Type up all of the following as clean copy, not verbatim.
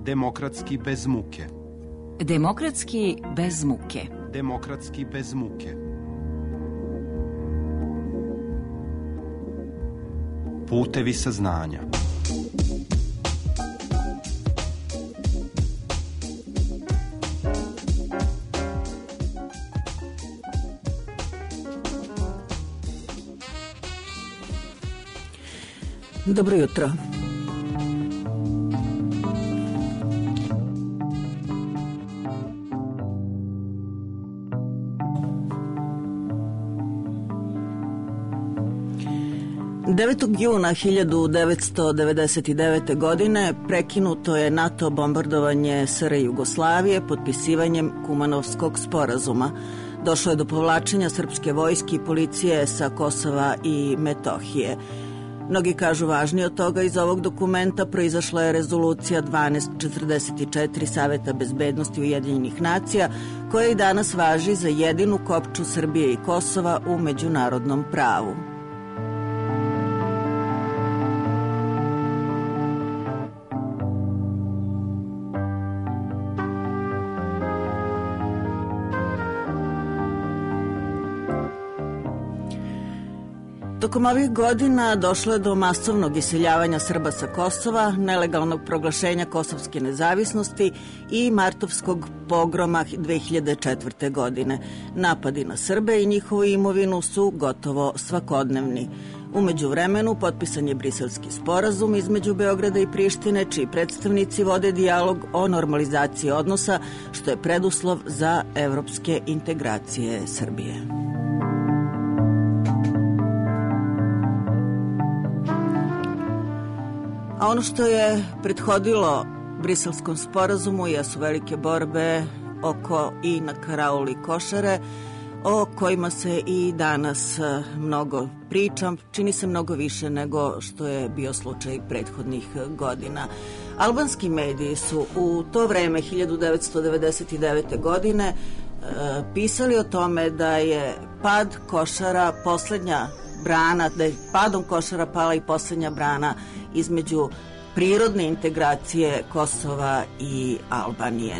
Demokratski bez muke. Demokratski bez muke. Demokratski bez muke. Putevi saznanja. Dobro jutro. Juna 1999. godine prekinuto je NATO bombardovanje SR Jugoslavije potpisivanjem Kumanovskog sporazuma. Došlo je do povlačenja srpske vojske i policije sa Kosova i Metohije. Mnogi kažu važnije od toga, iz ovog dokumenta proizašla je rezolucija 1244 Saveta bezbednosti Ujedinjenih nacija, koja i danas važi za jedinu kopču Srbije i Kosova u međunarodnom pravu. Tokom ovih godina došlo je do masovnog iseljavanja Srba sa Kosova, nelegalnog proglašenja kosovske nezavisnosti i martovskog pogroma 2004. godine. Napadi na Srbe i njihovu imovinu su gotovo svakodnevni. U međuvremenu potpisan je Briselski sporazum između Beograda i Prištine, čiji predstavnici vode dijalog o normalizaciji odnosa, što je preduslov za evropske integracije Srbije. A ono što je prethodilo Briselskom sporazumu jesu velike borbe oko i na karauli Košare, o kojima se i danas mnogo priča, čini se mnogo više nego što je bio slučaj prethodnih godina. Albanski mediji su u to vreme 1999. godine pisali o tome da je pad Košara poslednja brana, da je padom Košara pala i poslednja brana između prirodne integracije Kosova i Albanije.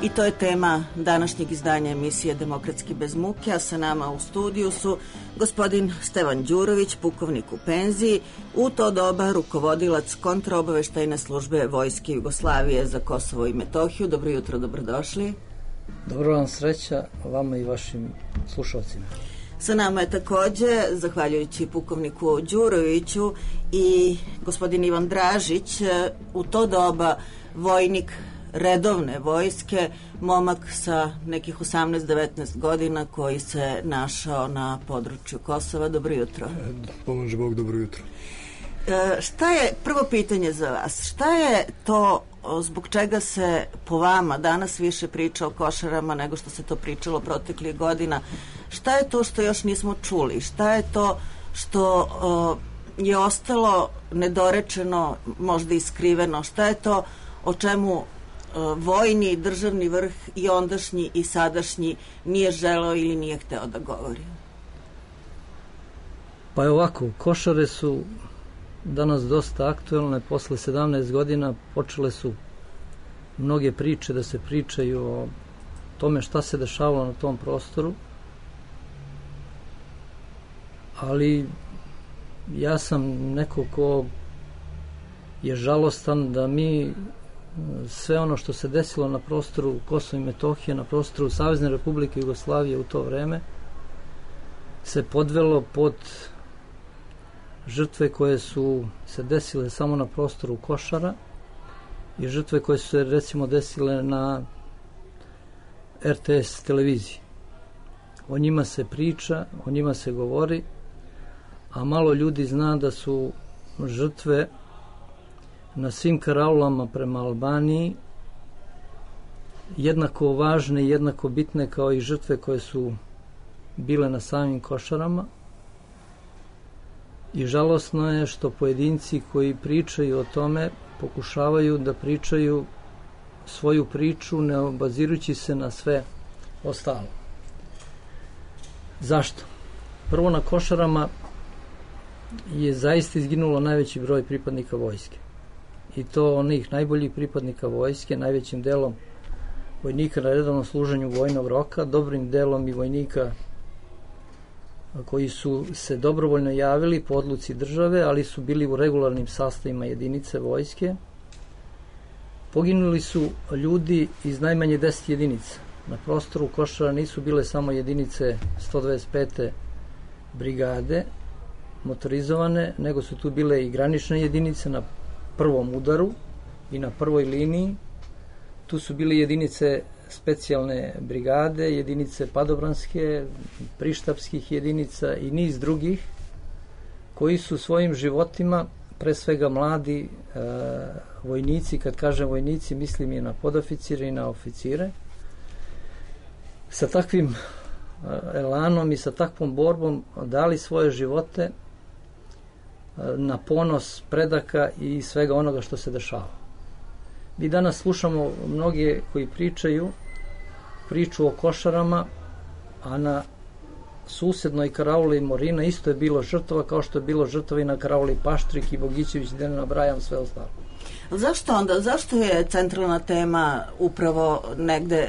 I to je tema današnjeg izdanja emisije Demokratski bez muke, a sa nama u studiju su gospodin Stevan Đurović, pukovnik u penziji, u to doba rukovodilac kontraobaveštajne službe Vojske Jugoslavije za Kosovo i Metohiju. Dobro jutro, dobrodošli. Dobro vam sreća, vama i vašim slušalcima. Sa nama je takođe, zahvaljujući pukovniku Đuroviću, i gospodin Ivan Dražić, u to doba vojnik redovne vojske, momak sa nekih 18-19 godina koji se našao na području Kosova. Dobro jutro. Pomože Bog, dobro jutro. Šta je, prvo pitanje za vas, šta je to zbog čega se po vama danas više priča o Košarama nego što se to pričalo proteklih godina? Šta je to što još nismo čuli? Šta je to što je ostalo nedorečeno, možda iskriveno? Šta je to o čemu vojni, državni vrh i ondašnji i sadašnji nije želeo ili nije hteo da govori? Pa je ovako, Košare su danas dosta aktuelne. Posle 17 godina počele su mnoge priče da se pričaju o tome šta se dešavalo na tom prostoru, ali ja sam neko ko je žalostan da mi sve ono što se desilo na prostoru Kosova i Metohije, na prostoru Savezne Republike Jugoslavije u to vreme, se podvelo pod žrtve koje su se desile samo na prostoru Košara i žrtve koje su se recimo desile na RTS televiziji. O njima se priča, o njima se govori, a malo ljudi zna da su žrtve na svim karaulama prema Albaniji jednako važne i jednako bitne kao i žrtve koje su bile na samim Košarama. I žalosno je što pojedinci koji pričaju o tome pokušavaju da pričaju svoju priču ne obazirujući se na sve ostalo. Zašto? Prvo, na Košarama je zaista izginulo najveći broj pripadnika vojske. i to onih najboljih pripadnika vojske, najvećim delom vojnika na redovnom služenju vojnog roka, dobrim delom i vojnika koji su se dobrovoljno javili po odluci države, ali su bili u regularnim sastavima jedinice vojske. Poginuli su ljudi iz najmanje 10 jedinica. Na prostoru Košara nisu bile samo jedinice 125. brigade motorizovane, nego su tu bile i granične jedinice na prvom udaru i na prvoj liniji. Tu su bile jedinice specijalne brigade, jedinice padobranske, prištapskih jedinica i niz drugih koji su svojim životima, pre svega mladi vojnici, kad kažem vojnici mislim i na podoficire i na oficire, sa takvim elanom i sa takvom borbom dali svoje živote na ponos predaka i svega onoga što se dešava. Mi danas slušamo mnoge koji pričaju priču o Košarama, a na susednoj karauli Morina isto je bilo žrtava, kao što je bilo žrtava i na karauli Paštrik i Bogićević, da ne nabrajam sve ostalo. Zašto je centralna tema upravo negde,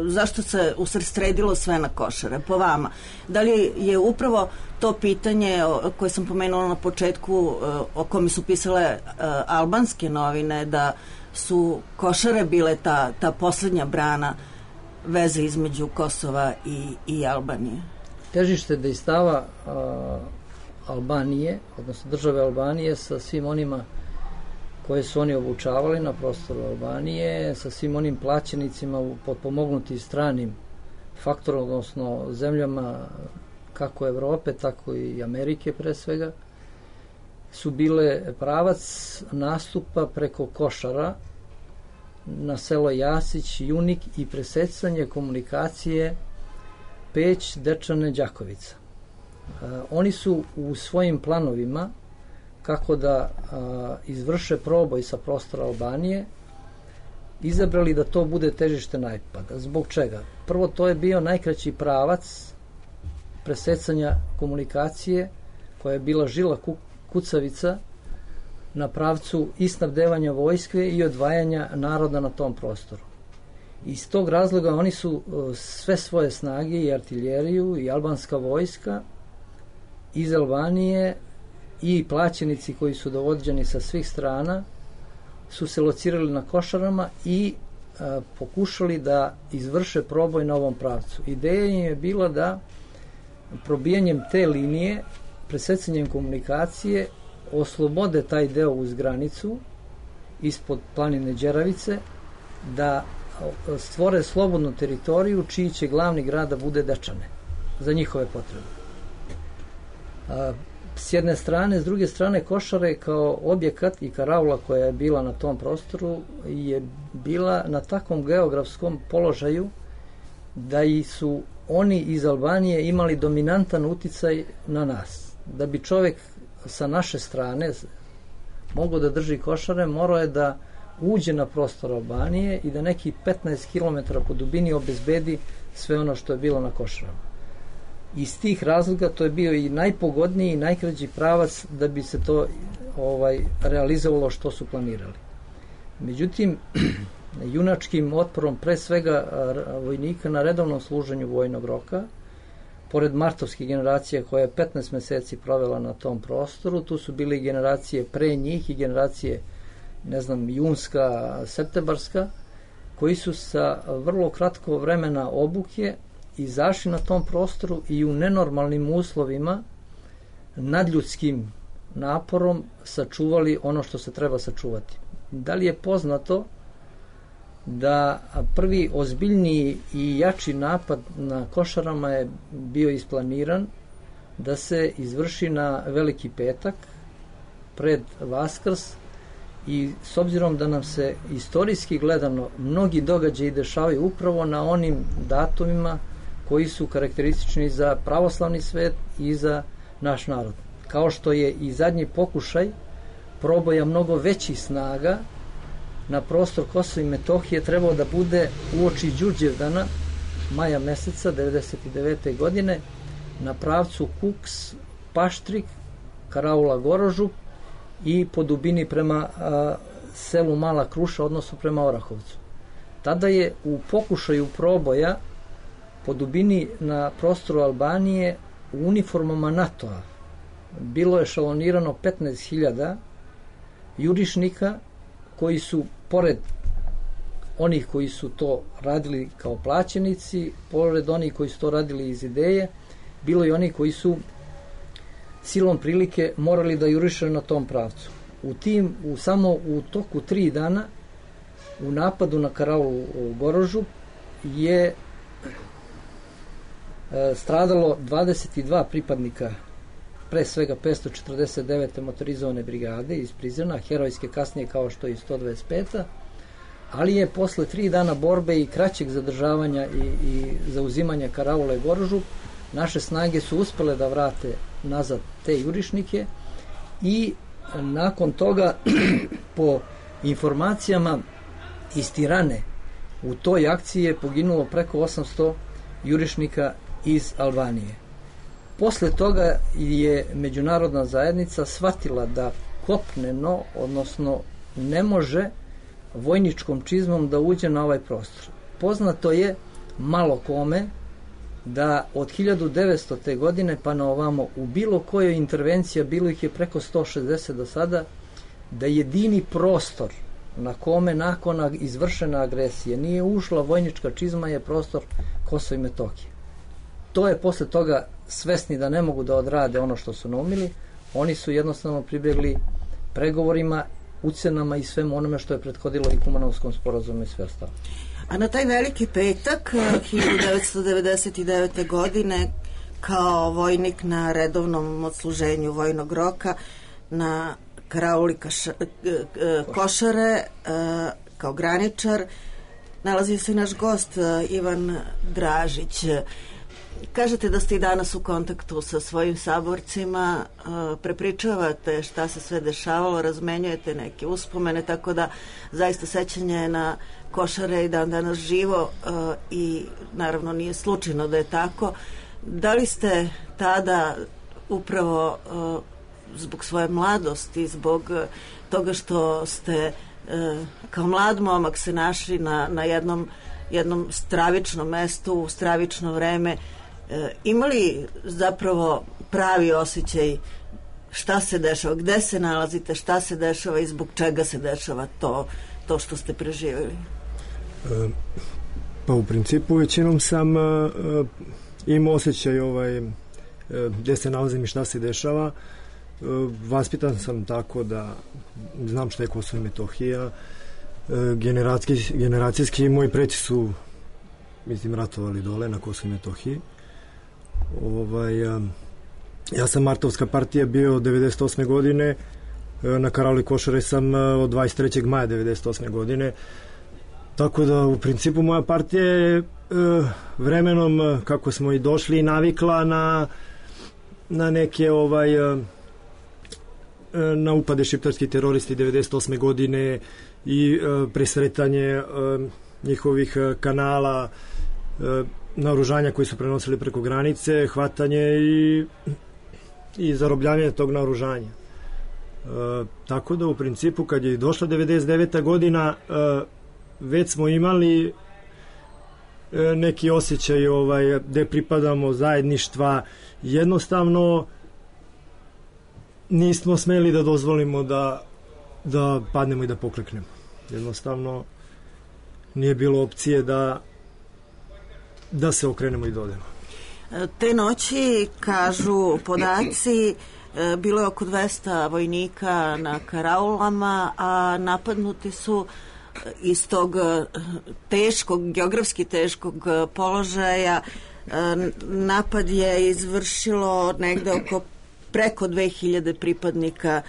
zašto se usredstredilo sve na Košare, po vama? Da li je upravo to pitanje koje sam pomenula na početku, o kome su pisale albanske novine, da su Košare bile ta poslednja brana veze između Kosova i Albanije? Težište dejstava Albanije, odnosno države Albanije, sa svim onima koje su oni obučavali na prostoru Albanije, sa svim onim plaćenicima potpomognuti stranim faktorom, odnosno zemljama kako Evrope, tako i Amerike pre svega, su bile pravac nastupa preko Košara na selo Jasić, Junik i presecanje komunikacije Peć, Dečane, Đakovica. Oni su u svojim planovima kako da izvrše proboj sa prostora Albanije izabrali da to bude težište napada. Zbog čega? Prvo, to je bio najkraći pravac presecanja komunikacije koja je bila žila kucavica na pravcu i snabdevanja vojske i odvajanja naroda na tom prostoru. Iz tog razloga oni su sve svoje snage i artiljeriju i albanska vojska iz Albanije i plaćenici koji su dovođeni sa svih strana su se locirali na Košarama i pokušali da izvrše proboj na ovom pravcu. Ideja im je bila da probijanjem te linije, presecanjem komunikacije, oslobode taj deo uz granicu ispod planine Đeravice, da stvore slobodnu teritoriju čiji će glavni grad da bude Dečane za njihove potrebe. S jedne strane, s druge strane Košare kao objekat i karaula koja je bila na tom prostoru je bila na takvom geografskom položaju da i su oni iz Albanije imali dominantan uticaj na nas. Da bi čovek sa naše strane mogao da drži Košare, morao je da uđe na prostor Albanije i da neki 15 km po dubini obezbedi sve ono što je bilo na Košarama. Iz tih razloga to je bio i najpogodniji i najkraći pravac da bi se to realizovalo što su planirali. Međutim, junačkim otporom pre svega vojnika na redovnom služenju vojnog roka, pored martovskih generacija koja je 15 meseci provela na tom prostoru, tu su bile generacije pre njih i generacije, junska, septembarska, koji su sa vrlo kratko vremena obuke izašli na tom prostoru i u nenormalnim uslovima, nadljudskim naporom sačuvali ono što se treba sačuvati. Da li je poznato da prvi ozbiljniji i jači napad na Košarama je bio isplaniran da se izvrši na Veliki petak pred Vaskrs, i s obzirom da nam se istorijski gledano mnogi događaji dešavaju upravo na onim datumima koji su karakteristični za pravoslavni svet i za naš narod. Kao što je i zadnji pokušaj proboja mnogo većih snaga na prostor Kosova i Metohije trebao da bude uoči Đurđevdana, maja meseca 1999. godine, na pravcu Kuks, Paštrik, Karaula Gorožup i po dubini prema selu Mala Kruša, odnosno prema Orahovcu. Tada je u pokušaju proboja po dubini na prostoru Albanije u uniformama NATO-a bilo je šalonirano 15.000 jurišnika koji su, pored onih koji su to radili kao plaćenici, pored onih koji su to radili iz ideje, bilo i oni koji su silom prilike morali da juriše na tom pravcu. Samo u toku 3 dana u napadu na karaulu u Gorožu je stradalo 22 pripadnika, pre svega 549. motorizovane brigade iz Prizrena, herojske kasnije kao što je i 125. Ali je posle 3 dana borbe i kraćeg zadržavanja i zauzimanja karaule Gorožu, naše snage su uspele da vrate nazad te jurišnike i nakon toga po informacijama iz Tirane u toj akciji je poginulo preko 800 jurišnika iz Albanije. Posle toga je međunarodna zajednica shvatila da kopneno, odnosno ne može vojničkom čizmom da uđe na ovaj prostor. Poznato je malo kome da od 1900. godine pa na ovamo u bilo kojoj intervencija, bilo ih je preko 160 do sada, da jedini prostor na kome nakon izvršene agresije nije ušla vojnička čizma je prostor Kosova i Metohije. To je posle toga, svesni da ne mogu da odrade ono što su naumili, oni su jednostavno pribjegli pregovorima, ucenama i svemu onome što je prethodilo i Kumanovskom sporazumu i sve ostalo. A na taj veliki petak 1999. godine kao vojnik na redovnom odsluženju vojnog roka na karauli Košare kao graničar nalazi se naš gost Ivan Dražić. Kažete da ste i danas u kontaktu sa svojim saborcima, prepričavate šta se sve dešavalo, razmenjujete neke uspomene, tako da zaista sećanje na Košare i dan danas živo i naravno nije slučajno da je tako. Da li ste tada upravo zbog svoje mladosti, zbog toga što ste kao mlad momak se našli na jednom stravičnom mestu u stravično vreme, imali zapravo pravi osjećaj šta se dešava, gde se nalazite, šta se dešava i zbog čega se dešava to što ste preživjeli? Pa u principu većinom sam imao osjećaj gde se nalazim i šta se dešava. Vaspitan sam tako da znam šta je Kosovo i Metohija. Generacijski moji preci su ratovali dole na Kosovo i Metohiji. Ja sam Martovska partija bio 98. godine, na karauli Košare sam od 23. maja 98. godine, tako da u principu moja partija je vremenom, kako smo i došli, navikla na neke na upade šiptarskih teroristi 98. godine i presretanje njihovih kanala, naoružanja koji su prenosili preko granice, hvatanje i zarobljavanje tog naoružanja. Tako da u principu kad je došla 99. godina već smo imali neki osjećaj gde pripadamo, zajedništva, jednostavno nismo smeli da dozvolimo da padnemo i da pokleknemo. Jednostavno nije bilo opcije da se okrenemo i dodemo. Te noći, kažu podaci, bilo je oko 200 vojnika na karaulama, a napadnuti su iz tog geografski teškog položaja. Napad je izvršilo negde oko preko 2000 pripadnika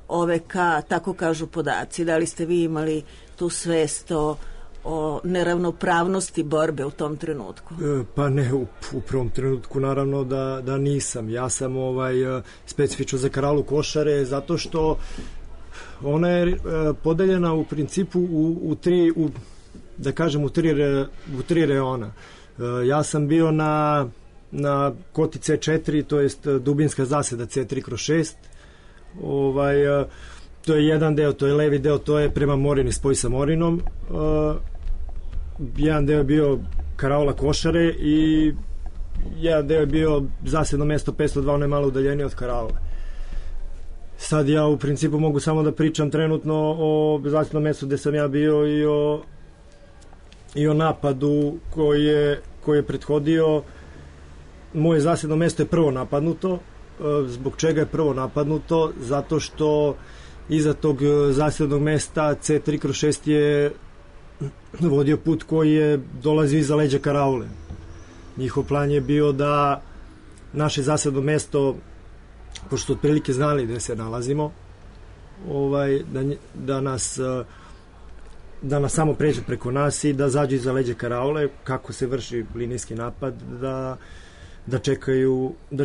OVK, tako kažu podaci. Da li ste vi imali tu svest o neravnopravnosti borbe u tom trenutku? Pa ne, u prvom trenutku naravno da nisam. Ja sam specifično za karaulu Košare zato što ona je podeljena u principu u tri reona. Ja sam bio na koti C4, to jest dubinska zaseda C3/6. To je jedan deo, to je levi deo, to je prema Morini, spoj sa Morinom. Jedan deo je bio karaula Košare i jedan deo je bio zasedno mesto 502, ono je malo udaljenije od karaule. Sad ja u principu mogu samo da pričam trenutno o zasednom mestu gde sam ja bio i o napadu koji je prethodio. Moje zasedno mesto je prvo napadnuto. Zbog čega je prvo napadnuto? Zato što iza tog zasednog mesta C3/6 je vodio put koji je dolazio iza leđa karaule. Njihov plan je bio da naše zasedno mesto, pošto otprilike znali gde se nalazimo, da nas samo pređe preko nas i da zađu iza leđa karaule, kako se vrši linijski napad, da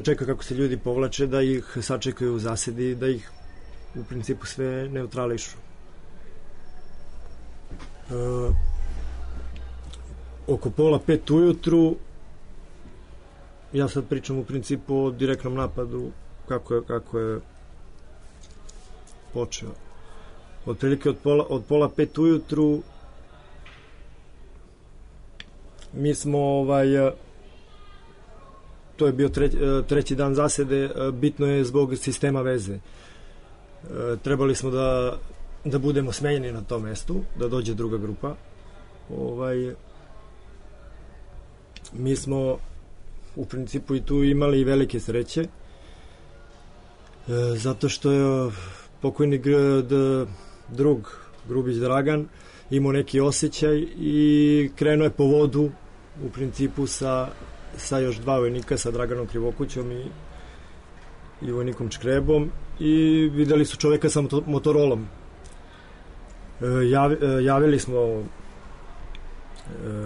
čeka kako se ljudi povlače, da ih sačekaju u zasedi, da ih u principu sve neutrališu. Oko 4:30 ujutru, ja sad pričam u principu o direktnom napadu, kako je počeo. Otprilike od 4:30 ujutru mi smo to je bio treći dan zasede, bitno je zbog sistema veze. Trebali smo da budemo smenjeni na tom mestu, da dođe druga grupa. Mi smo u principu i tu imali velike sreće, zato što je pokojni drug Grubić Dragan imao neki osjećaj i krenuo je po vodu u principu sa još dva vojnika, sa Draganom Krivokućom i vojnikom Čkrebom, i videli su čoveka sa motorolom. Javili smo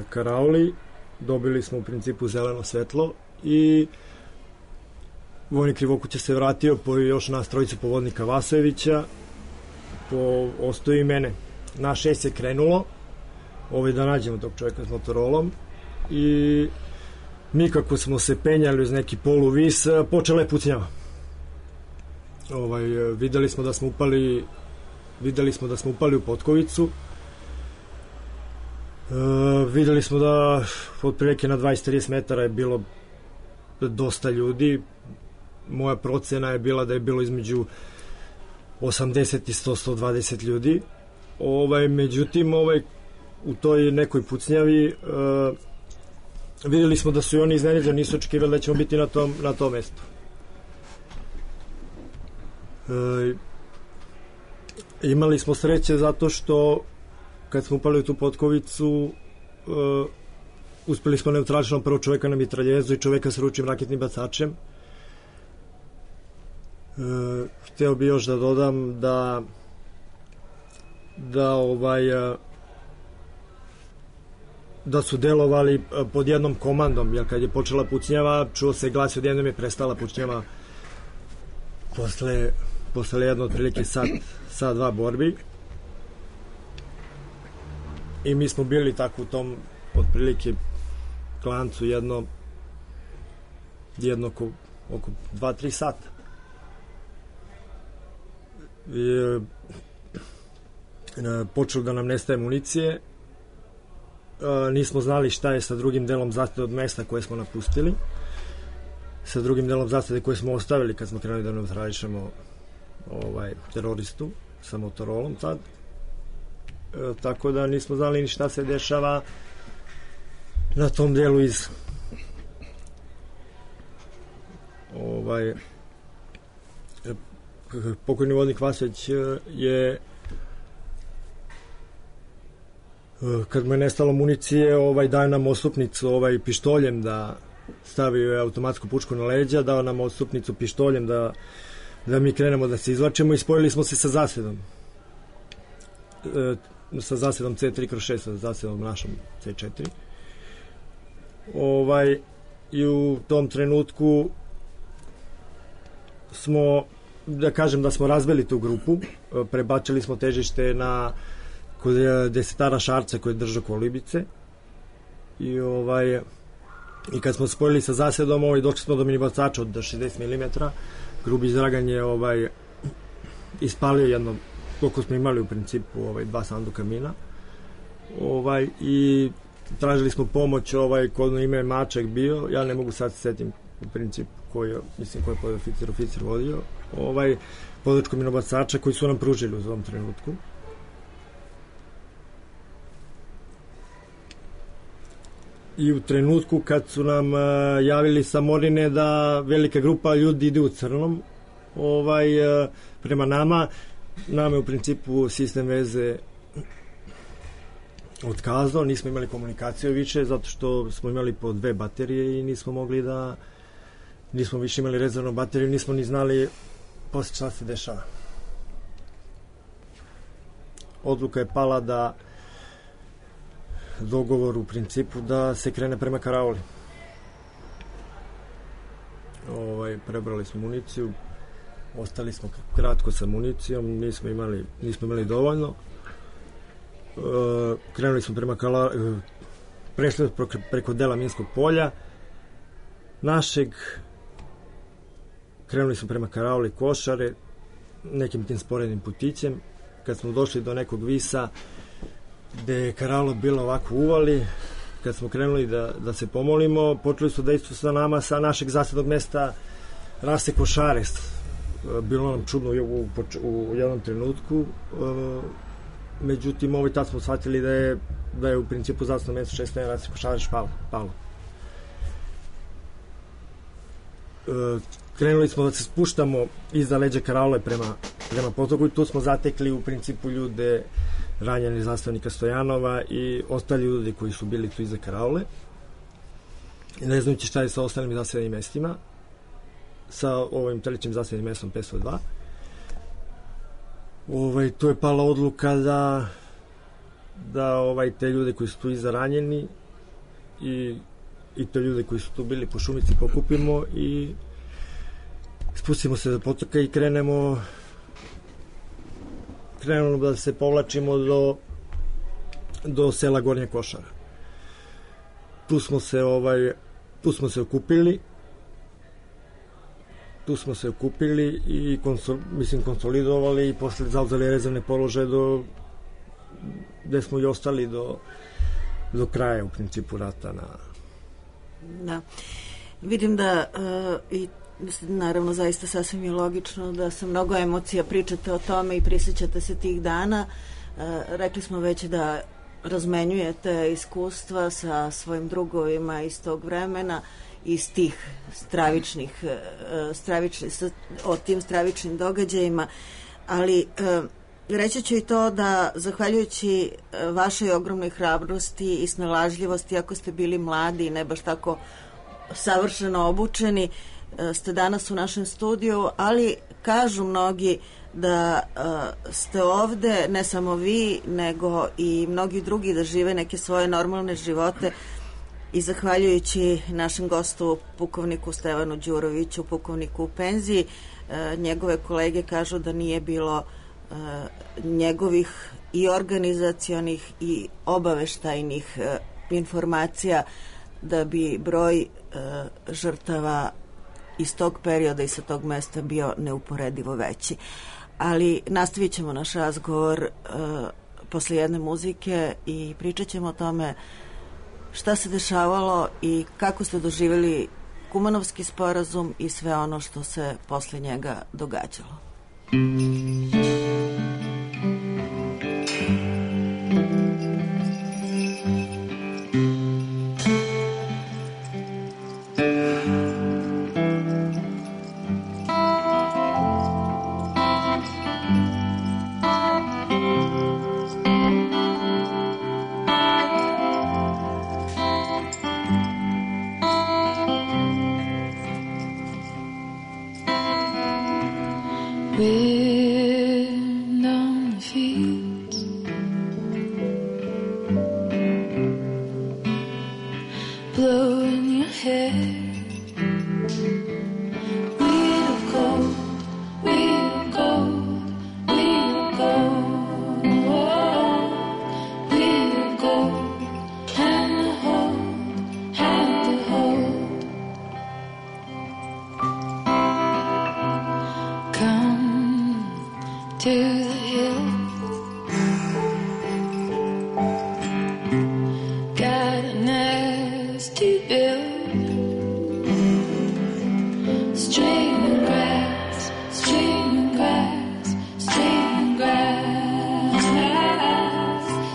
karauli, dobili smo u principu zeleno svetlo i vojnik Krivokuća se vratio po još nas trojicu povodnika Vasojevića, ostoji mene. Na 6 je krenulo da nađemo tog čoveka s motorolom i mi kako smo se penjali uz neki poluvis, počela je pucnjava. Videli smo da smo upali u potkovicu. Videli smo da otprilike na 20-30 metara je bilo dosta ljudi. Moja procena je bila da je bilo između 80 i 100-120 ljudi. Međutim, u toj nekoj pucnjavi videli smo da su i oni iznenađeni, nisu očekivali da ćemo biti na tom mestu. Imali smo sreće zato što kad smo upali u tu potkovicu, uspeli smo neutralično prvo čoveka na mitraljezu i čoveka sa ručnim raketnim bacačem. Hteo bi još da dodam da su delovali pod jednom komandom, jer kad je počela pucnjava, čuo se glas, odjednom je prestala pucnjava posle jedno otprilike sat dva borbi. I mi smo bili tako u tom otprilike klancu jedno oko 2-3 sata. Počelo da nam nestaje municije. Nismo znali šta je sa drugim delom zasede od mesta koje smo napustili, sa drugim delom zasede koje smo ostavili kad smo krenuli da neutrališemo teroristu sa motorolom tad. Tako da nismo znali ni šta se dešava na tom delu iz pokojni vodnik Vasović je kad mu je nestalo municije, daje nam odstupnicu pištoljem, da stavio automatsku pušku na leđa, dao nam odstupnicu pištoljem da mi krenemo da se izvlačimo i spojili smo se sa zasedom. Sa zasedom C3/6, sa zasedom našom C4. I u tom trenutku smo, da kažem da smo razbili tu grupu, prebačili smo težište kod desetara Šarca koji je držao Kolibice i kad smo spojili sa zasedom, došli smo do minibacača od 60 mm. Grubić Dragan je ispalio koliko smo imali u principu 2 sanduka mina. I tražili smo pomoć kod ime Maček bio, ja ne mogu sad se setim u principu koji je oficir vodio, podršku minobacača koji su nam pružili u tom trenutku. I u trenutku kad su nam javili sa Morine da velika grupa ljudi ide u crnom prema nama je u principu sistem veze otkazao, nismo imali komunikaciju više zato što smo imali po 2 baterije i nismo više imali rezervnu bateriju, nismo ni znali posle šta se dešava. Odluka je pala da dogovor u principu da se krene prema karauli. Prebrali smo municiju, ostali smo kratko sa municijom, nismo imali dovoljno. Krenuli smo prešli preko dela minskog polja našeg, krenuli smo prema karauli Košare nekim tim sporednim putićem. Kad smo došli do nekog visa gde je karaula bila ovako uvali, kad smo krenuli da se pomolimo, počeli su da istu sa nama sa našeg zasadnog mesta Rase Košare. Bilo nam čudno u jednom trenutku, međutim tad smo shvatili da je u principu zasadno mesto 6. Rase Košare palo. Krenuli smo da se spuštamo iza leđa karaule prema potoku i tu smo zatekli u principu ljude ranjeni zastavnika Stojanova i ostali ljudi koji su bili tu iza karaule. Ne znajući šta je sa ostalim zastavnim mestima, sa ovim trećim zastavnim mestom 502. Tu je pala odluka da te ljude koji su tu iza ranjeni i te ljude koji su tu bili po šumici pokupimo i spustimo se do potoka i krenemo da se povlačimo do sela Gornja Košara. Tu smo se okupili i konsolidovali i posle zauzeli rezervne položaje gde smo i ostali do kraja u principu rata. Da. Vidim da i naravno zaista sasvim je logično da sa mnogo emocija pričate o tome i prisjećate se tih dana. Rekli smo već da razmenjujete iskustva sa svojim drugovima iz tog vremena, iz tih o tim stravičnim događajima, ali reći ću i to da zahvaljujući vašoj ogromnoj hrabrosti i snalažljivosti, ako ste bili mladi i ne baš tako savršeno obučeni, ste danas u našem studiju, ali kažu mnogi da ste ovde, ne samo vi, nego i mnogi drugi da žive neke svoje normalne živote i zahvaljujući našem gostu pukovniku Stevanu Đuroviću, pukovniku u penziji, njegove kolege kažu da nije bilo njegovih i organizacionih i obaveštajnih informacija da bi broj žrtava iz tog perioda i sa tog mesta bio neuporedivo veći. Ali nastavit ćemo naš razgovor posle jedne muzike i pričat ćemo o tome šta se dešavalo i kako ste doživjeli Kumanovski sporazum i sve ono što se posle njega događalo. Wind on the fields, blowing your hair. Wheel of gold, wheel of gold, wheel of gold, wheel of gold, hand to hold, hand to hold. Come to the hill streaming grass, streaming grass, streaming grass,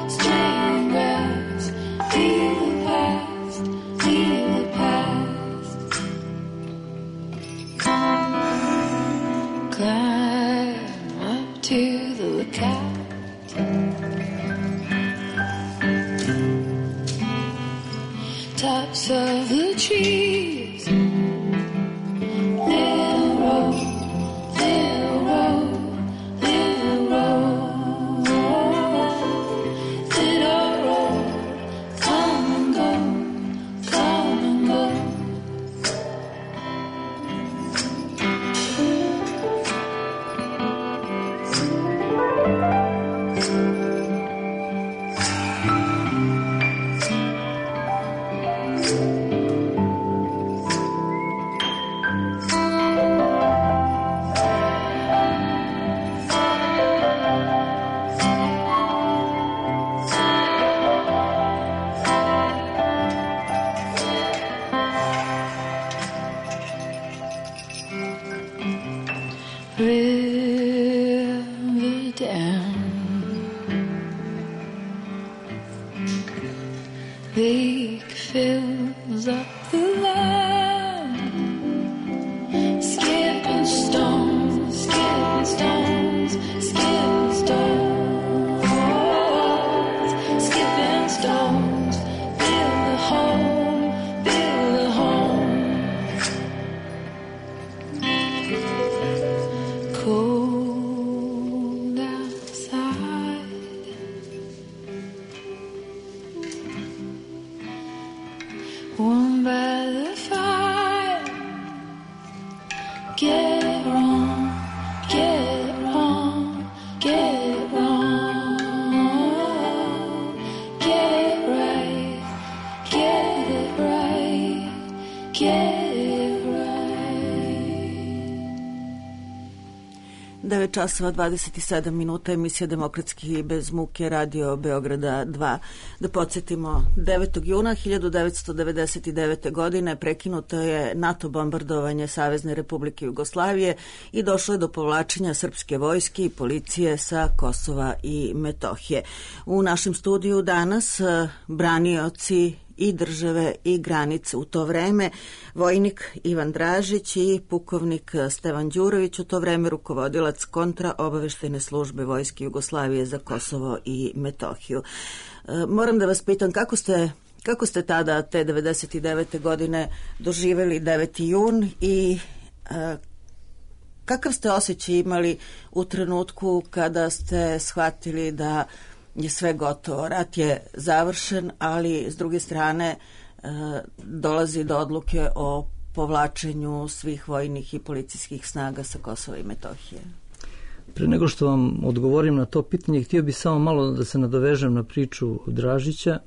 streaming grass. Leave the past, leave the past. Climb up to the lookout. Tops of the trees. Little road, little road, little road, little road. Come and go, come and go. River down, lake fills up the land. Skipping stones, skipping stones, skipping stones, skipping stones. Build a home, build a home. Cold outside, warm by the fire. Get it wrong, get it wrong, get it wrong. Get it right, get it right, get it right. 9 časova 27 minuta, emisija Demokratski bez muke, radio Beograda 2. Da podsjetimo, 9. juna 1999. godine prekinuto je NATO bombardovanje Savezne Republike Jugoslavije i došlo je do povlačenja srpske vojske i policije sa Kosova i Metohije. U našem studiju danas branioci i države i granice u to vreme, vojnik Ivan Dražić i pukovnik Stevan Đurović, u to vreme rukovodilac kontraobaveštajne službe Vojske Jugoslavije za Kosovo i Metohiju. Moram da vas pitam, kako ste tada, te 99. godine, doživeli 9. jun i kakav ste osjećaj imali u trenutku kada ste shvatili da je sve gotovo, rat je završen, ali s druge strane dolazi do odluke o povlačenju svih vojnih i policijskih snaga sa Kosova i Metohije? Pre nego što vam odgovorim na to pitanje, htio bih samo malo da se nadovežem na priču Dražića.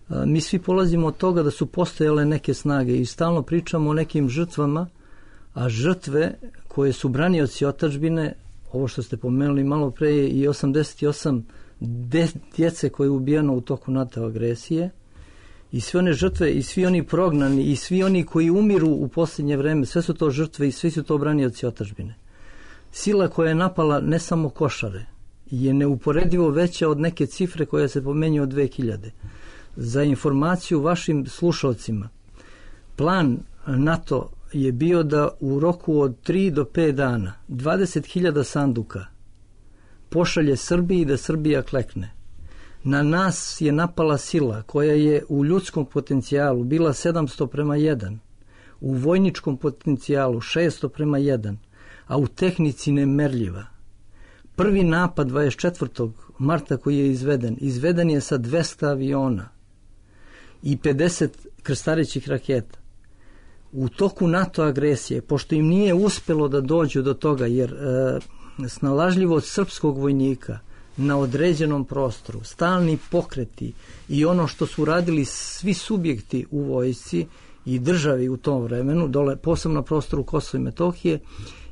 Mi svi polazimo od toga da su postojale neke snage i stalno pričamo o nekim žrtvama, a žrtve koje su branioci otadžbine, ovo što ste pomenuli malo pre, je i 88 djece koje je ubijano u toku NATO agresije, i sve one žrtve i svi oni prognani i svi oni koji umiru u posljednje vreme, sve su to žrtve i svi su to branioci otadžbine. Sila koja je napala ne samo Košare je neuporedivo veća od neke cifre koja se pomenju od 2000. Za informaciju vašim slušalcima, plan NATO je bio da u roku od 3 do 5 dana 20.000 sanduka pošalje Srbiji, da Srbija klekne. Na nas je napala sila koja je u ljudskom potencijalu bila 700:1, u vojničkom potencijalu 600:1, a u tehnici nemerljiva. Prvi napad 24. marta koji je izveden je sa 200 aviona i 50 krstarećih raketa. U toku NATO agresije, pošto im nije uspelo da dođu do toga, jer snalažljivost srpskog vojnika na određenom prostoru, stalni pokreti i ono što su radili svi subjekti u vojsci i državi u tom vremenu, dole, posebno na prostoru Kosova i Metohije,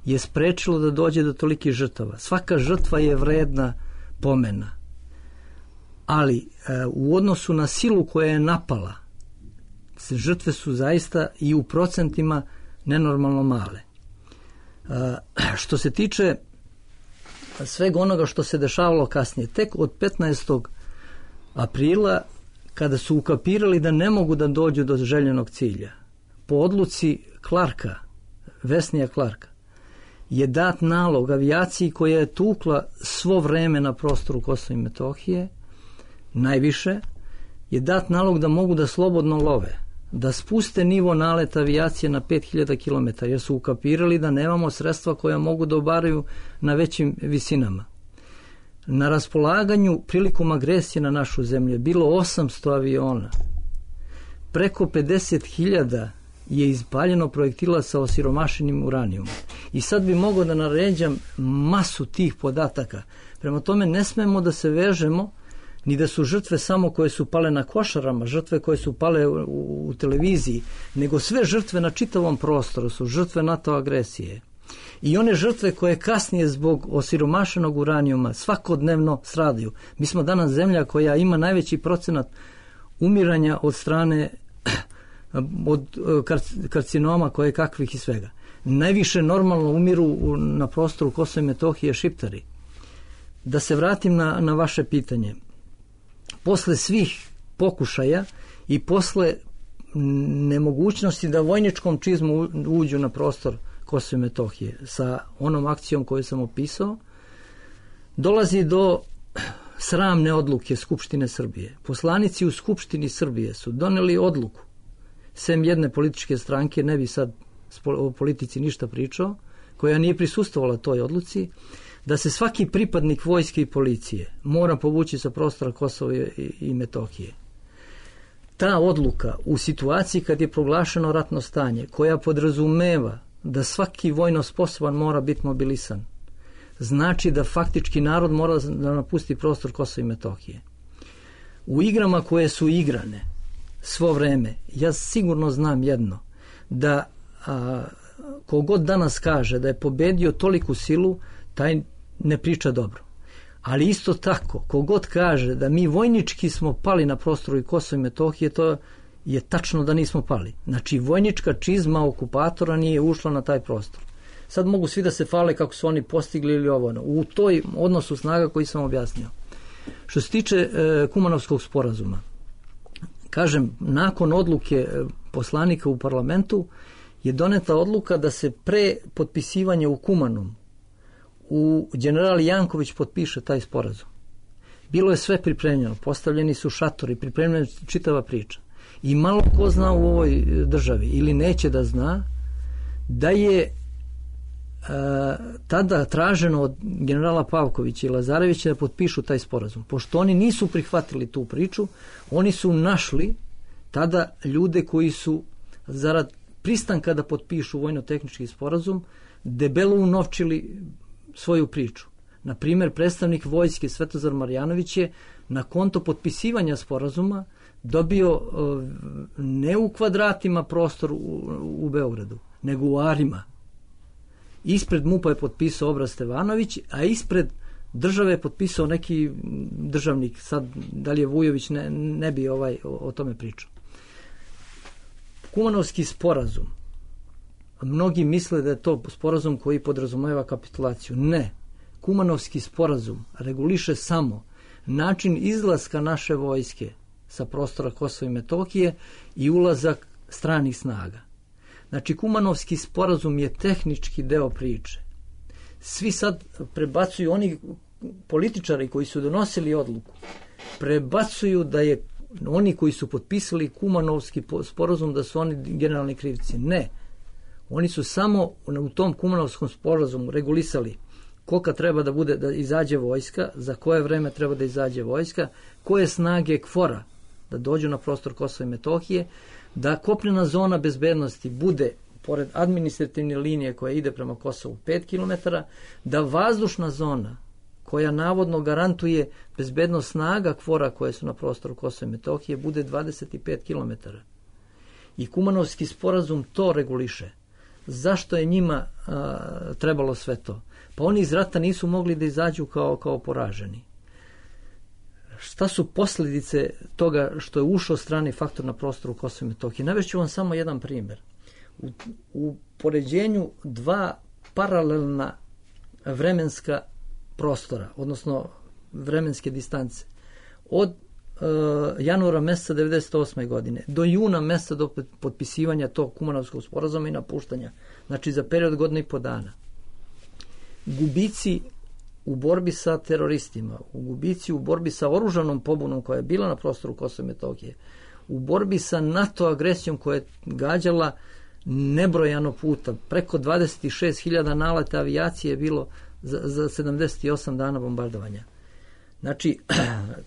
je sprečilo da dođe do tolikih žrtava. Svaka žrtva je vredna pomena. Ali u odnosu na silu koja je napala, žrtve su zaista i u procentima nenormalno male. Što se tiče svega onoga što se dešavalo kasnije, tek od 15. aprila, kada su ukapirali da ne mogu da dođu do željenog cilja, po odluci Clarka, Vesnija Clarka, je dat nalog avijaciji koja je tukla svo vreme na prostoru Kosova i Metohije, najviše, je dat nalog da mogu da slobodno love, da spuste nivo naleta avijacije na 5000 km, jer su ukapirali da nemamo sredstva koja mogu da obaraju na većim visinama. Na raspolaganju prilikom agresije na našu zemlju je bilo 800 aviona. Preko 50.000 je izpaljeno projektila sa osiromašenim uranijumom. I sad bi mogao da naređam masu tih podataka. Prema tome ne smemo da se vežemo ni da su žrtve samo koje su pale na Košarama, žrtve koje su pale u televiziji, nego sve žrtve na čitavom prostoru su žrtve NATO agresije. I one žrtve koje kasnije zbog osiromašenog uranijuma svakodnevno stradaju. Mi smo danas zemlja koja ima najveći procenat umiranja od strane od karcinoma koje kakvih i svega. Najviše normalno umiru na prostoru Kosova i Metohije Šiptari. Da se vratim na vaše pitanje. Posle svih pokušaja i posle nemogućnosti da vojničkom čizmu uđu na prostor Kosova i Metohije sa onom akcijom koju sam opisao, dolazi do sramne odluke Skupštine Srbije. Poslanici u Skupštini Srbije su doneli odluku, sem jedne političke stranke, ne bi sad o politici ništa pričao, koja nije prisustvovala toj odluci, da se svaki pripadnik vojske i policije mora povući sa prostora Kosova i Metohije. Ta odluka u situaciji kad je proglašeno ratno stanje, koja podrazumeva da svaki vojno sposoban mora biti mobilisan, znači da faktički narod mora da napusti prostor Kosova i Metohije. U igrama koje su igrane svo vreme, ja sigurno znam jedno, da kogod danas kaže da je pobedio toliku silu, taj ne priča dobro. Ali isto tako, kogod kaže da mi vojnički smo pali na prostoru i Kosova i Metohije, to je tačno da nismo pali. Znači, vojnička čizma okupatora nije ušla na taj prostor. Sad mogu svi da se fale kako su oni postigli ili ovo. U toj odnosu snaga koji sam objasnio. Što se tiče Kumanovskog sporazuma, kažem, nakon odluke poslanika u parlamentu je doneta odluka da se pre potpisivanja u Kumanom u general Janković potpiše taj sporazum. Bilo je sve pripremljeno, postavljeni su šatori, pripremljena je čitava priča. I malo ko zna u ovoj državi ili neće da zna da je tada traženo od generala Pavkovića i Lazarevića da potpišu taj sporazum. Pošto oni nisu prihvatili tu priču, oni su našli tada ljude koji su zarad pristanka da potpišu vojno-tehnički sporazum debelo unovčili svoju priču. Na primjer, predstavnik vojske Svetozar Marjanović je na konto potpisivanja sporazuma dobio ne u kvadratima prostor u Beogradu, nego u arima. Ispred MUP-a je potpisao Obraz Stevanović, a ispred države je potpisao neki državnik, sad da li je Vujović, ne bi o tome pričao. Kumanovski sporazum, mnogi misle da je to sporazum koji podrazumeva kapitulaciju. Ne. Kumanovski sporazum reguliše samo način izlaska naše vojske sa prostora Kosova i Metohije i ulazak stranih snaga. Znači, Kumanovski sporazum je tehnički deo priče. Svi sad prebacuju, oni političari koji su donosili odluku, prebacuju da je oni koji su potpisali Kumanovski sporazum da su oni generalni krivci. Ne. Oni su samo u tom Kumanovskom sporazumu regulisali kolika treba da bude da izađe vojska, za koje vreme treba da izađe vojska, koje snage KFOR-a da dođu na prostor Kosova i Metohije, da kopnena zona bezbednosti bude pored administrativne linije koja ide prema Kosovu 5 km, da vazdušna zona koja navodno garantuje bezbednost snaga KFOR-a koje su na prostoru Kosova i Metohije bude 25 km. I Kumanovski sporazum to reguliše. Zašto je njima trebalo sve to? Pa oni iz rata nisu mogli da izađu kao poraženi. Šta su posljedice toga što je ušao strani faktor na prostoru Kosova i Metohije? Navešću vam samo jedan primjer. u poređenju dva paralelna vremenska prostora, odnosno vremenske distance. Od januara meseca 1998. godine do juna meseca do potpisivanja tog Kumanovskog sporazuma i napuštanja, znači za period godina i po dana. Gubici u borbi sa teroristima, u gubici u borbi sa oružanom pobunom koja je bila na prostoru Kosova i Metohije, u borbi sa NATO agresijom koja je gađala nebrojano puta, preko 26.000 naleta avijacije je bilo za 78 dana bombardovanja. Znači,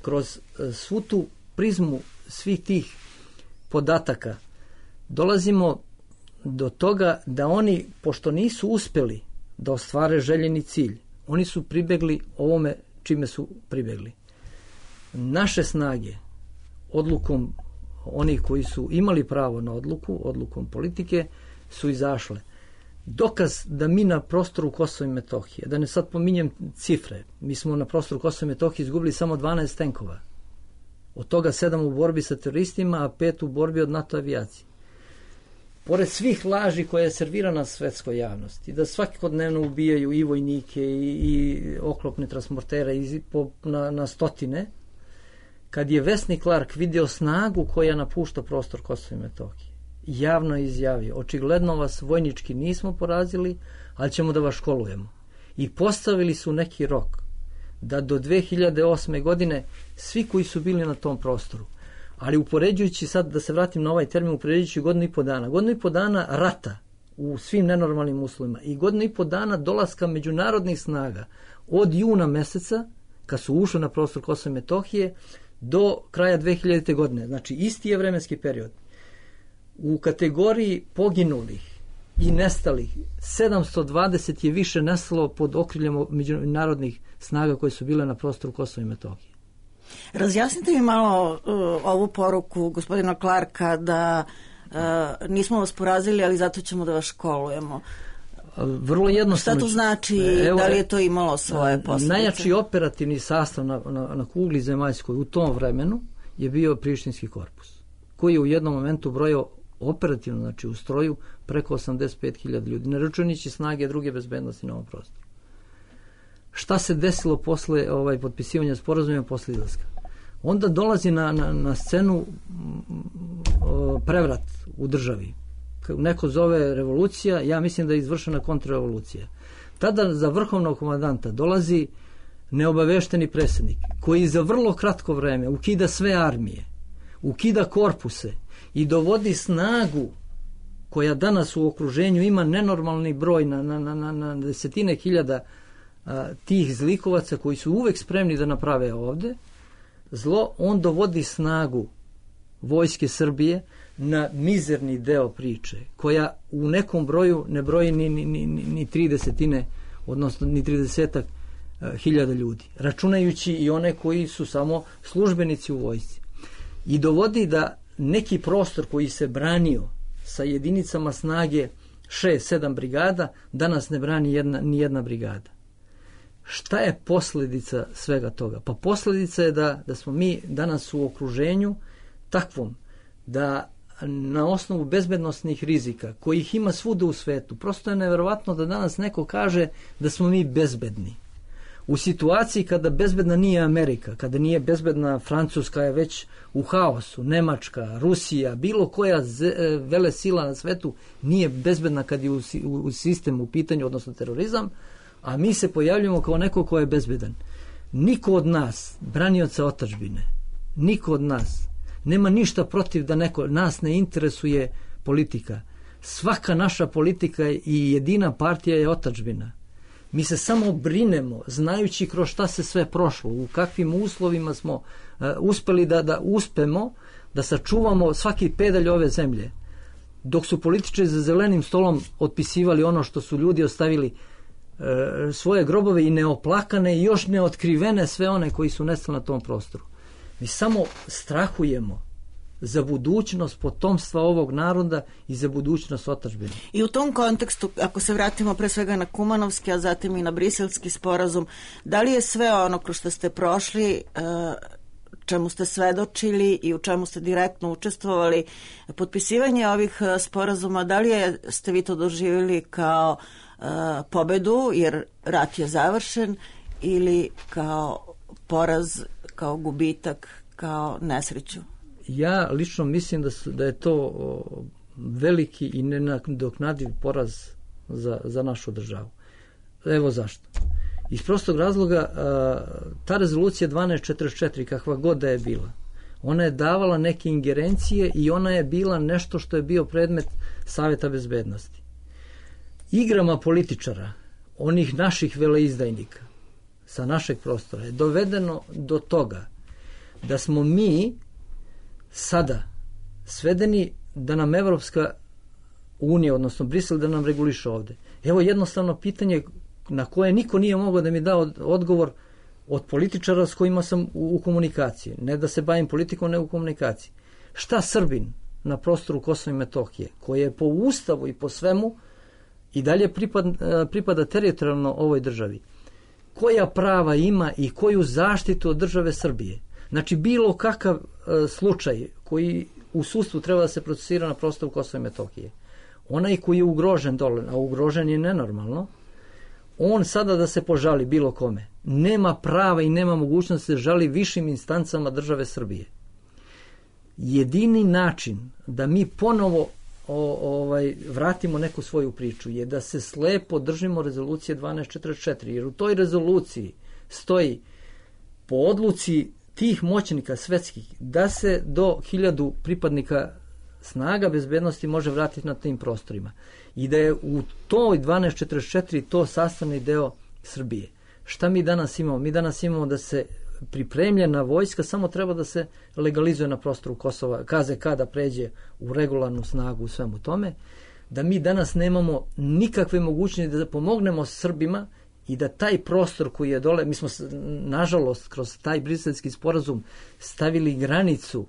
kroz svu tu prizmu svih tih podataka dolazimo do toga da oni, pošto nisu uspeli da ostvare željeni cilj, oni su pribegli ovome čime su pribegli. Naše snage, odlukom onih koji su imali pravo na odlukom politike, su izašle. Dokaz da mi na prostoru Kosova i Metohije, da ne sad pominjem cifre, mi smo na prostoru Kosova i Metohije izgubili samo 12 tenkova. Od toga 7 u borbi sa teroristima, a 5 u borbi od NATO avijacije. Pored svih laži koje je servirana svetskoj javnosti, da svakodnevno ubijaju i vojnike i oklopne transportere na stotine, kad je Vesni Clark vidio snagu koja napušta prostor Kosova i Metohije, javno je izjavio, očigledno vas vojnički nismo porazili, ali ćemo da vas školujemo. I postavili su neki rok da do 2008. godine svi koji su bili na tom prostoru, ali upoređujući sad, da se vratim na ovaj termin, upoređujući godinu i po dana rata u svim nenormalnim uslovima i godinu i po dana dolaska međunarodnih snaga od juna meseca, kad su ušli na prostor Kosova i Metohije, do kraja 2000. godine. Znači, isti je vremenski period. U kategoriji poginulih i nestalih 720 je više nestalo pod okriljem međunarodnih snaga koje su bile na prostoru Kosova i Metohije. Razjasnite mi malo ovu poruku gospodina Clarka da nismo vas porazili, ali zato ćemo da vas školujemo. Vrlo jednostavno. Šta to znači? Da li je to imalo svoje posljedice? Najjači operativni sastav na kugli zemaljskoj u tom vremenu je bio Prištinski korpus, koji je u jednom momentu brojao operativno, znači u stroju, preko 85.000 ljudi, ne računajući snage druge bezbednosti na ovom prostoru. Šta se desilo posle potpisivanja sporazuma posle izlaska? Onda dolazi na scenu prevrat u državi. Neko zove revolucija, ja mislim da je izvršena kontrrevolucija. Tada za vrhovnog komandanta dolazi neobavešteni predsjednik koji za vrlo kratko vreme ukida sve armije, ukida korpuse i dovodi snagu koja danas u okruženju ima nenormalni broj na desetine hiljada tih zlikovaca koji su uvek spremni da naprave ovde zlo. On dovodi snagu vojske Srbije na mizerni deo priče, koja u nekom broju ne broji ni 30, odnosno ni 30 hiljada ljudi, računajući i one koji su samo službenici u vojsci. I dovodi da neki prostor koji se branio sa jedinicama snage 6-7 brigada, danas ne brani ni jedna brigada. Šta je posljedica svega toga? Pa posljedica je da smo mi danas u okruženju takvom da na osnovu bezbednosnih rizika, kojih ima svuda u svetu, prosto je neverovatno da danas neko kaže da smo mi bezbedni. U situaciji kada bezbedna nije Amerika, kada nije bezbedna Francuska je već u haosu, Nemačka, Rusija, bilo koja vele sila na svetu nije bezbedna kad je u sistemu u pitanju, odnosno terorizam, a mi se pojavljamo kao neko ko je bezbedan. Niko od nas, branioca otadžbine, niko od nas nema ništa protiv da nas ne interesuje politika. Svaka naša politika i jedina partija je otadžbina. Mi se samo brinemo, znajući kroz šta se sve prošlo, u kakvim uslovima smo uspeli da uspemo, da sačuvamo svaki pedalj ove zemlje. Dok su političari za zelenim stolom otpisivali ono što su ljudi ostavili, svoje grobove i neoplakane i još neotkrivene sve one koji su nestali na tom prostoru. Mi samo strahujemo za budućnost potomstva ovog naroda i za budućnost otadžbine. I u tom kontekstu, ako se vratimo pre svega na Kumanovski, a zatim i na Briselski sporazum, da li je sve ono kroz što ste prošli čemu ste svedočili i u čemu ste direktno učestvovali, potpisivanje ovih sporazuma, da li ste vi to doživjeli kao pobedu, jer rat je završen, ili kao poraz, kao gubitak, kao nesreću? Ja lično mislim da je to veliki i nenadoknadiv poraz za našu državu. Evo zašto. Iz prostog razloga, ta rezolucija 1244, kakva god da je bila, ona je davala neke ingerencije i ona je bila nešto što je bio predmet Saveta bezbednosti. Igrama političara, onih naših veleizdajnika sa našeg prostora, je dovedeno do toga da smo mi sada svedeni da nam Evropska unija, odnosno Brisel, da nam reguliše ovde. Evo jednostavno pitanje na koje niko nije mogao da mi da odgovor od političara s kojima sam u komunikaciji. Ne da se bavim politikom, ne u komunikaciji. Šta Srbin na prostoru Kosova i Metohije, koji je po ustavu i po svemu i dalje pripada teritorijalno ovoj državi, koja prava ima i koju zaštitu od države Srbije? Znači, bilo kakav slučaj koji u sudstvu treba da se procesira na prostoru Kosova i Metohije, onaj koji je ugrožen dole, a ugrožen je nenormalno, on sada da se požali bilo kome, nema prava i nema mogućnosti da se žali višim instancama države Srbije. Jedini način da mi ponovo vratimo neku svoju priču je da se slepo držimo rezolucije 1244, jer u toj rezoluciji stoji po odluci tih moćnika svetskih da se do 1000 pripadnika snaga bezbednosti može vratiti na tim prostorima i da je u toj 1244 to sastavni deo Srbije. Šta mi danas imamo? Mi danas imamo da se pripremljena vojska samo treba da se legalizuje na prostoru Kosova, KZK da pređe u regularnu snagu u svemu tome, da mi danas nemamo nikakve mogućnosti da pomognemo Srbima i da taj prostor koji je dole, mi smo nažalost kroz taj briselski sporazum stavili granicu,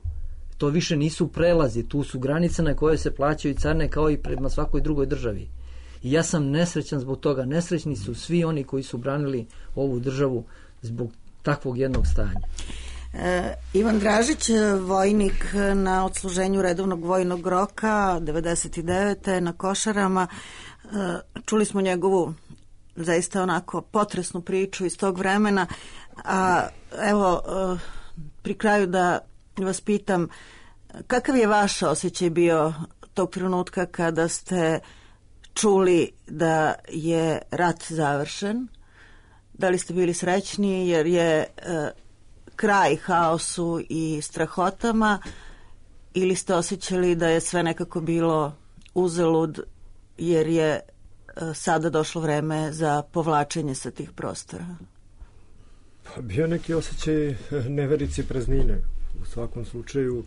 to više nisu prelazi, tu su granice na koje se plaćaju carine kao i prema svakoj drugoj državi. I ja sam nesrećan zbog toga, nesrećni su svi oni koji su branili ovu državu zbog takvog jednog stanja. Ivan Dražić, vojnik na odsluženju redovnog vojnog roka 99. na Košarama, čuli smo njegovu zaista onako potresnu priču iz tog vremena, a evo pri kraju da vas pitam, kakav je vaš osjećaj bio tog trenutka kada ste čuli da je rat završen? Da li ste bili srećni jer je kraj haosu i strahotama, ili ste osjećali da je sve nekako bilo uzalud jer je sada došlo vreme za povlačenje sa tih prostora? Pa bio neki osjećaj neverice i praznine. U svakom slučaju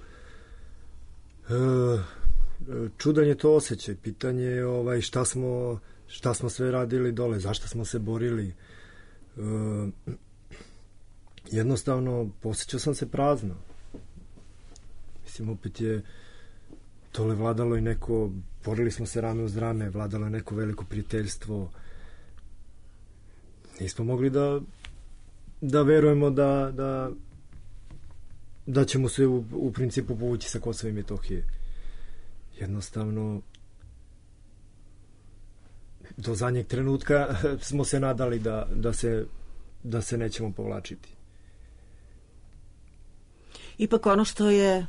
čudan je to osjećaj. Pitanje je šta smo sve radili dole, zašto smo se borili. Jednostavno posjećao sam se prazno. Mislim, opet je tole vladalo i neko, borili smo se rame uz rame, vladalo je neko veliko prijateljstvo. Nismo mogli da verujemo da ćemo se u principu povući sa Kosova i Metohije. Jednostavno do zadnjeg trenutka smo se nadali da se nećemo povlačiti. Ipak ono što je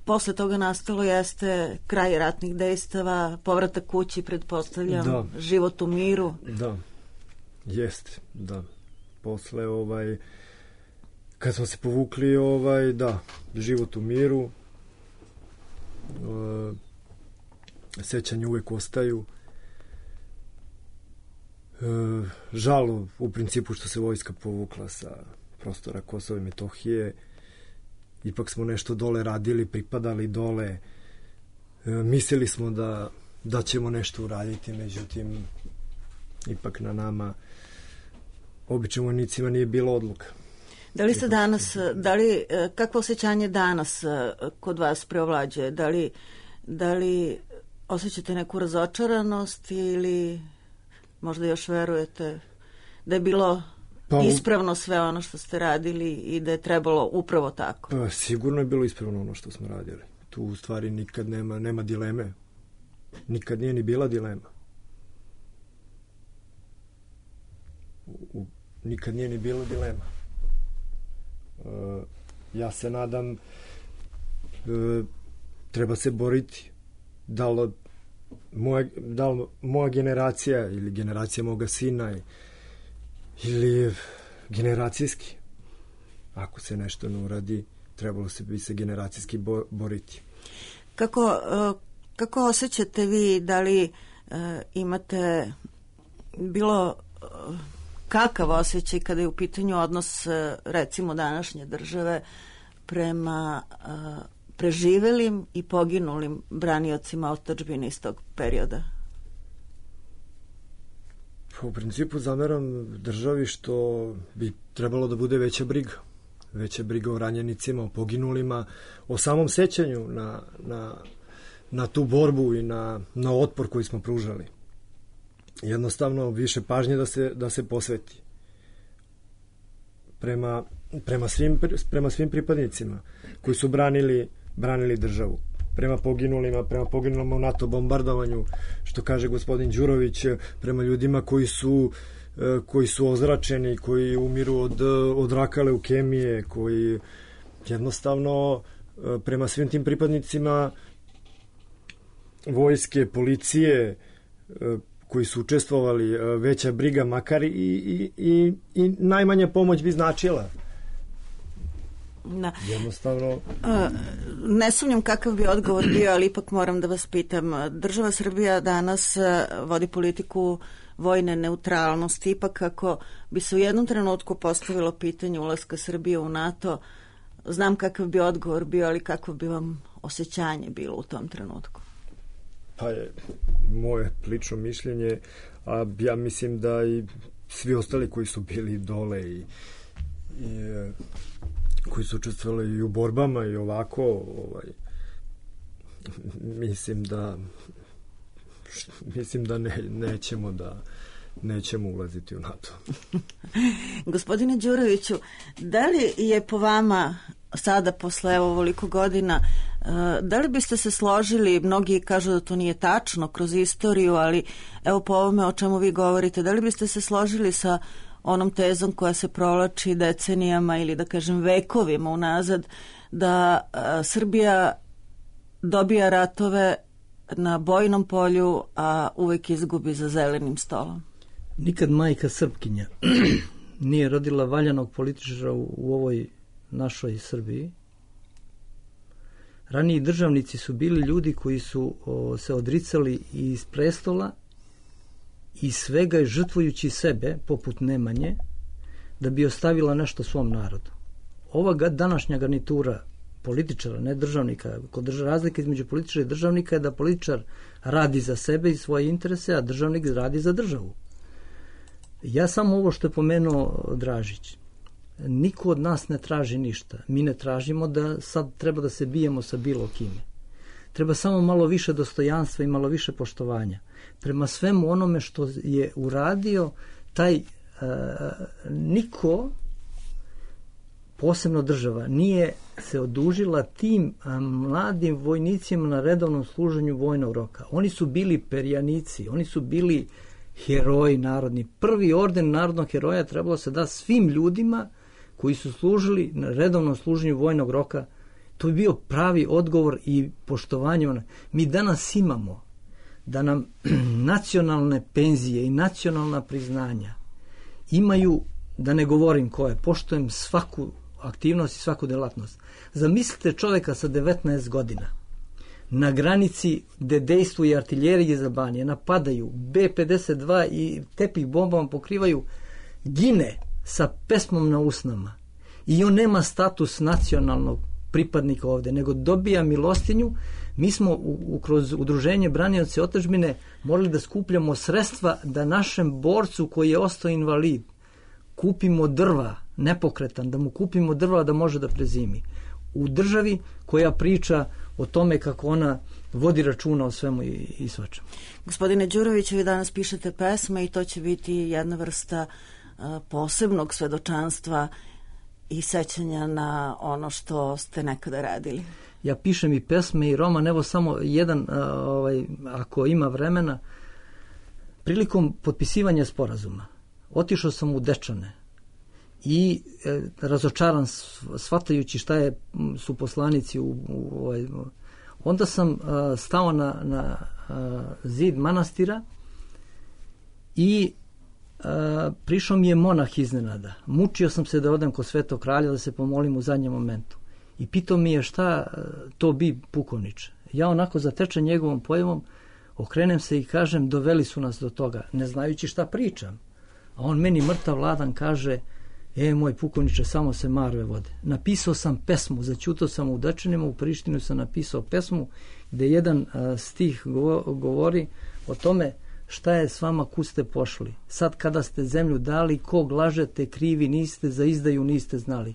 posle toga nastalo jeste kraj ratnih dejstava, povratak kući, pretpostavljam, život u miru. Da, jeste, da. Posle kad smo se povukli, život u miru, sećanje uvek ostaju. Žal u principu što se vojska povukla sa prostora Kosova i Metohije. Ipak smo nešto dole radili, pripadali dole. Mislili smo da ćemo nešto uraditi, međutim ipak na nama, običnim vojnicima, nije bilo odluka. Da li se danas, kakvo osjećanje danas kod vas preovlađuje? Da li osjećate neku razočaranost ili možda još verujete da je bilo ispravno sve ono što ste radili i da je trebalo upravo tako? Sigurno je bilo ispravno ono što smo radili. Tu u stvari nikad nema dileme. Nikad nije ni bila dilema. Nikad nije ni bilo dilema. Ja se nadam, treba se boriti. Da li moja generacija ili generacija moga sina ili generacijski, ako se nešto ne uradi, trebalo bi se generacijski boriti. Kako osjećate vi, da li imate bilo kakav osjećaj kada je u pitanju odnos, recimo, današnje države prema preživelim i poginulim braniocima otadžbine iz tog perioda? U principu zameram državi što bi trebalo da bude veća briga. Veća briga o ranjenicima, o poginulima, o samom sećanju na tu borbu i na otpor koji smo pružali. Jednostavno više pažnje da se posveti prema svim pripadnicima koji su branili državu, prema poginulima u NATO bombardovanju, što kaže gospodin Đurović, prema ljudima koji su ozračeni, koji umiru od raka, leukemije, koji jednostavno prema svim tim pripadnicima vojske, policije, koji su učestvovali, veća briga, makar i najmanja pomoć bi značila. Da. Jednostavno... Ne sumnjam kakav bi odgovor bio, ali ipak moram da vas pitam. Država Srbija danas vodi politiku vojne neutralnosti. Ipak ako bi se u jednom trenutku postavilo pitanje ulaska Srbije u NATO, znam kakav bi odgovor bio, ali kako bi vam osjećanje bilo u tom trenutku? Pa je moje lično mišljenje, a ja mislim da i svi ostali koji su bili dole i koji su učestvovali i u borbama i ovako, mislim da nećemo ulaziti u NATO. Gospodine Đuroviću, da li je po vama sada posle ovoliko godina, da li biste se složili, mnogi kažu da to nije tačno kroz istoriju, ali evo po ovome o čemu vi govorite, da li biste se složili sa onom tezom koja se provlači decenijama ili da kažem vekovima unazad, da Srbija dobija ratove na bojnom polju, a uvek izgubi za zelenim stolom? Nikad majka Srpkinja nije rodila valjanog političara u ovoj našoj Srbiji. Raniji državnici su bili ljudi koji su se odricali iz prestola i svega žrtvujući sebe, poput Nemanje, da bi ostavila nešto svom narodu. Ova današnja garnitura političara, ne državnika, razlika između političara i državnika je da političar radi za sebe i svoje interese, a državnik radi za državu. Ja samo ovo što je pomenuo Dražić. Niko od nas ne traži ništa. Mi ne tražimo da sad treba da se bijemo sa bilo kime. Treba samo malo više dostojanstva i malo više poštovanja. Prema svemu onome što je uradio taj niko, posebno država, nije se odužila tim mladim vojnicima na redovnom služenju vojnog roka. Oni su bili perjanici, oni su bili heroji narodni. Prvi orden narodnog heroja trebalo se da svim ljudima koji su služili na redovnom služenju vojnog roka. To je bio pravi odgovor i poštovanje. Mi danas imamo da nam nacionalne penzije i nacionalna priznanja imaju, da ne govorim koje, poštujem svaku aktivnost i svaku delatnost. Zamislite čovjeka sa 19 godina na granici gde dejstvuje artiljerije iz Albanije, napadaju B-52 i tepih bombama pokrivaju, gine sa pesmom na usnama i on nema status nacionalnog pripadnika ovde, nego dobija milostinju. Mi smo kroz udruženje Branioci otadžbine morali da skupljamo sredstva da našem borcu koji je ostao invalid kupimo drva, nepokretan, da mu kupimo drva da može da prezimi. U državi koja priča o tome kako ona vodi računa o svemu i svačemu. Gospodine Đurović, vi danas pišete pesme i to će biti jedna vrsta posebnog svedočanstva i sećanja na ono što ste nekada radili? Ja pišem i pesme i roman, evo samo jedan, ako ima vremena. Prilikom potpisivanja sporazuma otišao sam u Dečane i razočaran shvatajući šta su poslanici onda sam stao na zid manastira i prišao mi je monah iznenada. Mučio sam se da odem kod Svetog kralja da se pomolim u zadnjem momentu. I pitao mi je šta to bi pukovniče. Ja onako zatečen njegovom pojavom okrenem se i kažem doveli su nas do toga, ne znajući šta pričam. A on meni mrtav ladan kaže moj pukovniče, samo se marve vode. Napisao sam pesmu, zaćutao sam u Dečanima, u Prištinu sam napisao pesmu gde jedan stih govori o tome šta je s vama, kud ste pošli. Sad kada ste zemlju dali, kog lažete, krivi niste, za izdaju niste znali.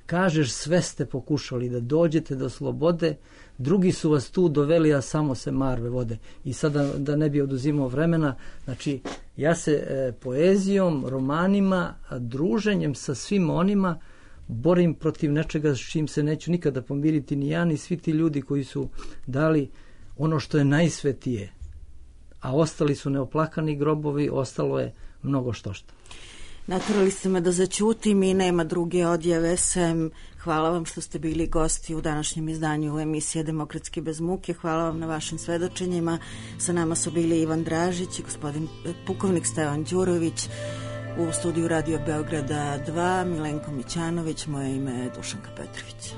Kažeš sve ste pokušali da dođete do slobode, drugi su vas tu doveli, a samo se marve vode. I sada da ne bi oduzimao vremena, znači ja se poezijom, romanima, druženjem sa svim onima borim protiv nečega s čim se neću nikada pomiriti ni ja, ni svi ti ljudi koji su dali ono što je najsvetije. A ostali su neoplakani grobovi, ostalo je mnogo štošta. Naturali ste me da zaćutim i nema druge odjave sem hvala vam što ste bili gosti u današnjem izdanju emisije Demokratski bez muke. Hvala vam na vašim svedočenjima. Sa nama su bili Ivan Dražić i gospodin pukovnik Stevan Đurović. U studiju Radio Beograda 2 Milenko Mićanović, moje ime je Dušanka Petrović.